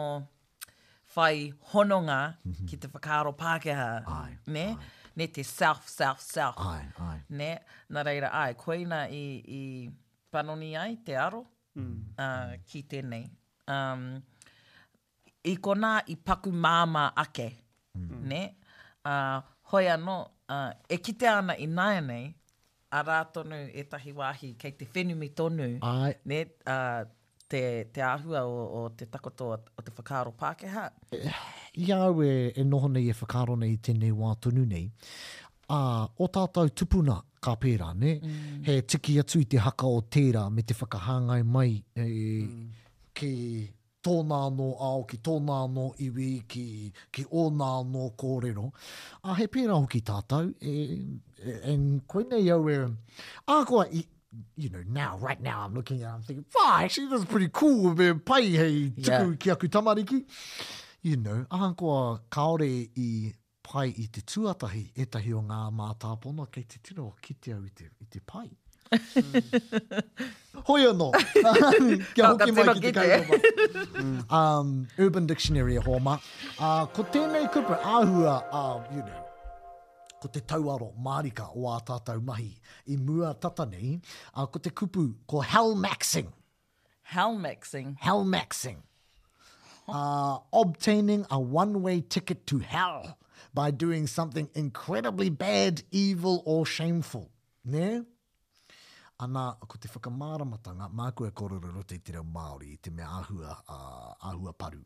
[SPEAKER 5] whai hononga mm -hmm. ki te whakaaro Pākehā,
[SPEAKER 3] ai,
[SPEAKER 5] ne?
[SPEAKER 3] Ai.
[SPEAKER 5] Ne te self, self, self.
[SPEAKER 3] Ai, ai.
[SPEAKER 5] Ne? Nā reira, ai, koina i, i panoni ai te aro mm. uh, ki tēnei. Um, I konā i paku māmā ake, mm. ne? Uh, hoi anō, uh, e kitea ana ināianei, arā tonu ētahi wāhi kei te whenumi tonu,
[SPEAKER 3] Ai.
[SPEAKER 5] ne, uh, te, te āhua o, o te takoto o te whakaaro Pākehā.
[SPEAKER 3] I a au e, e noho nei, e whakaaro nei i tēnei wā tonu nei, ā, ō tātou tupuna ka pērā, nē? Mm. He tiki atu i te haka o tērā me te whakahāngai mai e, mm. ki tōna anō ao, ki tōna anō iwi, ki, ki ōna anō kōrero. Ā, he pērā hoki tātou, e, e, e, koinei au e, ahakoa i, you know, now, right now, I'm looking at it, I'm thinking, wow, actually, that's pretty cool, me pai hei tuku yeah. ki aku tamariki. You know, ahakoa kāore i pai i te tuatahi ētahi o ngā mātāpono kei te tino kite au i te, i te pai. Hoi anō, kia hoki mai ki te kaupapa. Um, Urban Dictionary e hoa mā. Uh, ko tēnei kupu āhua, uh, you know, ko te tauaro mārika o ā tātou mahi i mua tata nei, uh, ko te kupu, ko hellmaxing.
[SPEAKER 5] Hellmaxing.
[SPEAKER 3] Hellmaxing. Uh, obtaining a one-way ticket to hell by doing something incredibly bad, evil or shameful. Nē? Ana, ko te whakamāramatanga, māku e kōrero i roto i te reo Māori, i te mea āhua, āhua paru.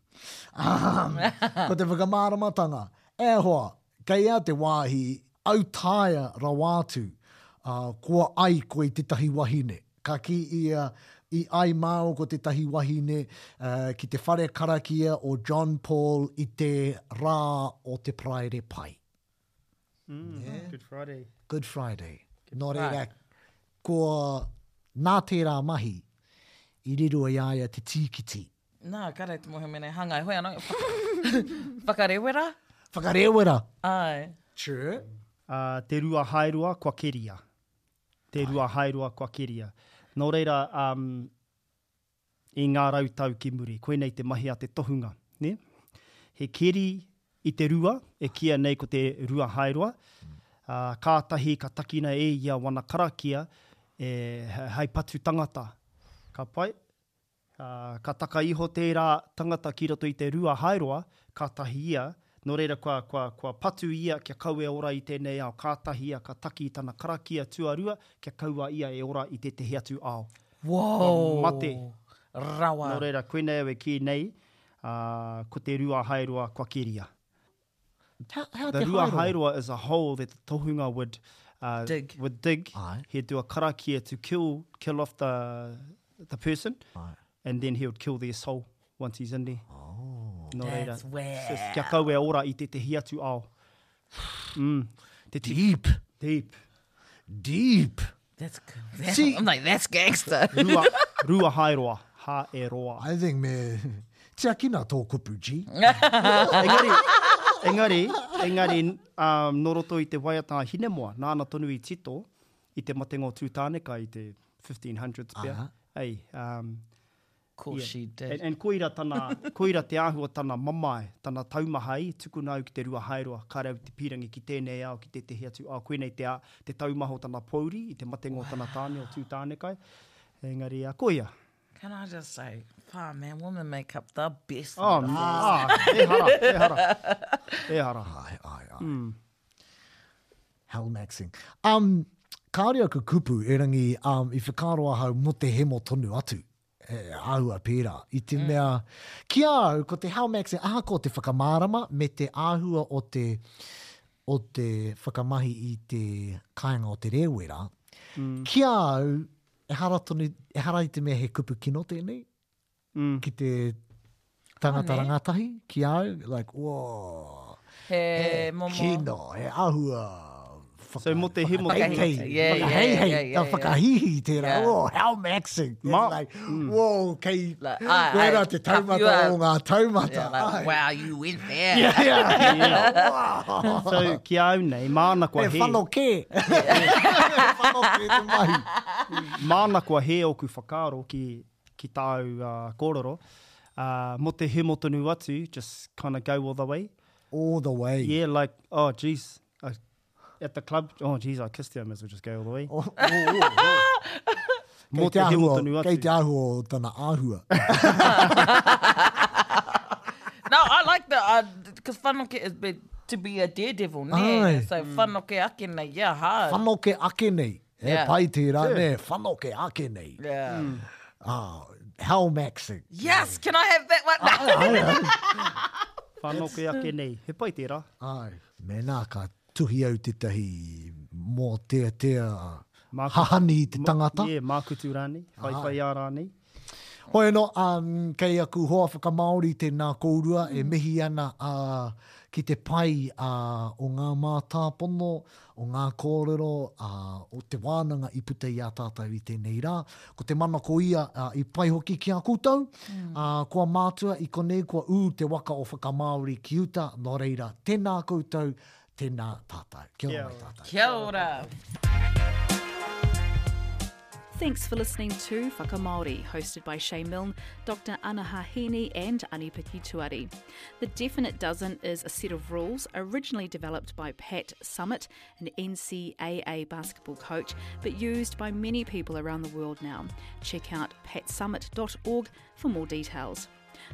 [SPEAKER 3] Ko te whakamāramatanga, e hoa, kei ea te wāhi autaia rawa atu, kua ai koe i tētahi wahine. Ka kī ia, i ai māua ko tētahi wahine ki te whare karakia o John Paul i te rā o te Paraire Pai.
[SPEAKER 4] Mm, yeah. Good Friday.
[SPEAKER 3] Good Friday. Good Nō reira, ko nā tērā mahi i riro i a ia te tīkiti.
[SPEAKER 5] Nā, kāre te mōhio mēnā e hāngai hoi anō. Whakarewera?
[SPEAKER 3] Whakarewera.
[SPEAKER 5] Āe.
[SPEAKER 3] Sure.
[SPEAKER 4] Uh, te rua haeroa kua keria. Te rua haeroa kua keria. Nō reira, um, i ngā rautau ki muri. Koinei te mahi a te tohunga, nē? He keri i te rua, e kīia nei ko te rua haeroa, ā, kātahi ka takina e ia wana karakia e, hei patu tangata. Ka pai? Ā, ka taka iho tērā tangata ki roto i te rua haeroa, kātahi ia, nō reira kua, kua, kua patu ia kia kaua e ora i tēnei ao, kātahi ia ka taki i tana karakia tuarua kia kaua ia e ora i tētehi atu ao.
[SPEAKER 5] Whoa!
[SPEAKER 4] Kua mate.
[SPEAKER 5] Rawa.
[SPEAKER 4] Nō reira, koinei au e kī nei, ā, ko te rua haeroa kua keria.
[SPEAKER 3] Hea, hea
[SPEAKER 4] The
[SPEAKER 3] te
[SPEAKER 4] rua
[SPEAKER 3] haeroa?
[SPEAKER 4] haeroa is a hole that the tohunga would, uh,
[SPEAKER 5] Dig.
[SPEAKER 4] would dig.
[SPEAKER 3] Aye.
[SPEAKER 4] He'd do a karakia to kill, kill off the, the person.
[SPEAKER 3] Aye.
[SPEAKER 4] And then he would kill their soul once he's in there.
[SPEAKER 3] Oh.
[SPEAKER 4] Nō reira,
[SPEAKER 5] That's wow.
[SPEAKER 4] kia kaua e ora i tētehi atu ao. Mm. Te ti-
[SPEAKER 3] Deep.
[SPEAKER 4] Deep.
[SPEAKER 3] Deep.
[SPEAKER 5] That's, that's
[SPEAKER 3] See-
[SPEAKER 5] I'm like, that's gangster.
[SPEAKER 4] Rua, rua haeroa. Ha e roa.
[SPEAKER 3] I think me tiakina tō kupu, G.
[SPEAKER 4] Engari, engari, engari, um, nō roto i te waiata a Hinemoa, nāna tonu i tito i te matenga o Tūtāneka i te 1500s pea.
[SPEAKER 3] Aha.
[SPEAKER 4] Ei, um,
[SPEAKER 5] course she did.
[SPEAKER 4] And, and koira tana, koira te āhua tana mamae, tana taumaha i tukuna au ki te rua haeroa, kāre au te pīrangi ki tēnei ao, ki tētehi atu ao, koinei te, te taumaha o tana pōuri i te matenga o tana tāne, o Tūtānekai. Engari, a, koia.
[SPEAKER 5] Can I just say, wha man, women make up the best
[SPEAKER 4] Oh, ah, ehara, ehara, ehara.
[SPEAKER 3] Ai, ai, ai. Mm. Hellmaxing. Um, kāore aku kupu, erangi, um, i whakaaro ahau mo te hemo tonu atu. He āhua pērā. I te mea, ki a au, ko te Hellmaxing, ahakoa te whakamārama me te āhua o te, o te whakamahi i te kāinga o te rēwera, ki a au, ehara tonu, ehara i te mea he kupu kino tēnei, ki te tangata rangatahi, ki a au, like, whoa.
[SPEAKER 5] He momo.
[SPEAKER 3] Kino, he āhua whaka,
[SPEAKER 4] So, mō te hemo
[SPEAKER 3] whakaheihei,
[SPEAKER 5] Yeah, yeah,
[SPEAKER 3] whakaheihei,
[SPEAKER 5] yeah, yeah,
[SPEAKER 3] whakahihi tērā,
[SPEAKER 5] Yeah.
[SPEAKER 3] oh, how maxing. It's
[SPEAKER 4] Ma-
[SPEAKER 3] like, whoa, kei,
[SPEAKER 5] Like, ai,
[SPEAKER 3] koirā
[SPEAKER 5] ai,
[SPEAKER 3] te taumata
[SPEAKER 5] you
[SPEAKER 3] o ngā taumata.
[SPEAKER 5] Yeah, like,
[SPEAKER 3] ai.
[SPEAKER 5] wow, you went there.
[SPEAKER 3] Yeah, yeah. yeah. Wow.
[SPEAKER 4] So, ki a au nei, māna kua
[SPEAKER 3] He
[SPEAKER 4] hē.
[SPEAKER 3] whano kē. He whano kē te mahi.
[SPEAKER 4] Māna kua hē ōku whakaaro ki, ki tāu uh, kōrero. Uh, mō te hemo tonu atu, just kind of go all the way.
[SPEAKER 3] All the way.
[SPEAKER 4] Yeah, like, oh, jeez, I, at the club, oh, jeez, I kissed her, I may as well just go all the way.
[SPEAKER 3] Oh, oh, oh, oh.
[SPEAKER 4] Mō
[SPEAKER 3] Kei
[SPEAKER 4] te
[SPEAKER 3] te
[SPEAKER 4] hemo
[SPEAKER 3] āhua,
[SPEAKER 4] tonu atu.
[SPEAKER 3] kei te āhua o tana āhua.
[SPEAKER 5] No, I like the, because uh, whanoke is big, to be a daredevil, nē?
[SPEAKER 3] Ai.
[SPEAKER 5] So whanoke ake nei, yeah, hard.
[SPEAKER 3] Whanoke ake nei. He
[SPEAKER 5] Yeah.
[SPEAKER 3] pai tērā, nē, whanoke ake nei.
[SPEAKER 5] Yeah.
[SPEAKER 3] Ah, hell maxing.
[SPEAKER 5] Yes, can I have that one?
[SPEAKER 3] Ai, ai.
[SPEAKER 4] Whanoke ake nei. He pai tērā.
[SPEAKER 3] Ai. Mēnā ka tuhi au tētahi mōteatea
[SPEAKER 4] Māku-
[SPEAKER 3] hahani i te tangata.
[SPEAKER 4] Yeah, mākutu rānei, whaiwhaiā rānei.
[SPEAKER 3] Hoi anō, um, kei aku hoa whakamāori tēnā kōrua e mihi ana uh, ki te pai uh, o ngā mātāpono, o ngā kōrero, uh, o te wānanga i puta i a tātou i tēnei rā. Ko te mana ko ia uh, i pai hoki ki a koutou. Uh, kua mātua i konei kua ū te waka o whakamāori ki uta, nō reira, tēnā koutou, tēnā tātou. Kia ora mai tātou.
[SPEAKER 5] Kia ora.
[SPEAKER 6] Thanks for listening to Whakamāori, hosted by Shay Milne, Dr Anaha Heaney and Ani-Piki Tuari. The Definite Dozen is a set of rules originally developed by Pat Summitt, an NCAA basketball coach, but used by many people around the world now. Check out patsummitt.org for more details.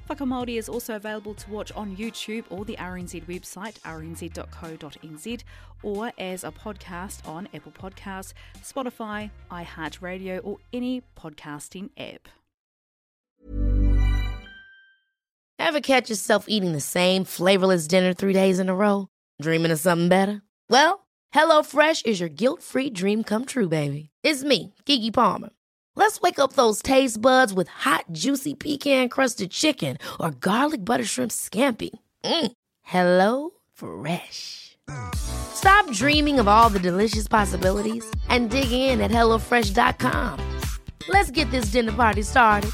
[SPEAKER 6] Whakamāori is also available to watch on YouTube or the RNZ website, rnz.co.nz, or as a podcast on Apple Podcasts, Spotify, iHeartRadio, or any podcasting app.
[SPEAKER 7] Ever catch yourself eating the same flavorless dinner 3 days in a row? Dreaming of something better? Well, HelloFresh is your guilt-free dream come true, baby. It's me, Keke Palmer. Let's wake up those taste buds with hot, juicy pecan-crusted chicken or garlic butter shrimp scampi. Hello Fresh. Stop dreaming of all the delicious possibilities and dig in at HelloFresh.com. Let's get this dinner party started.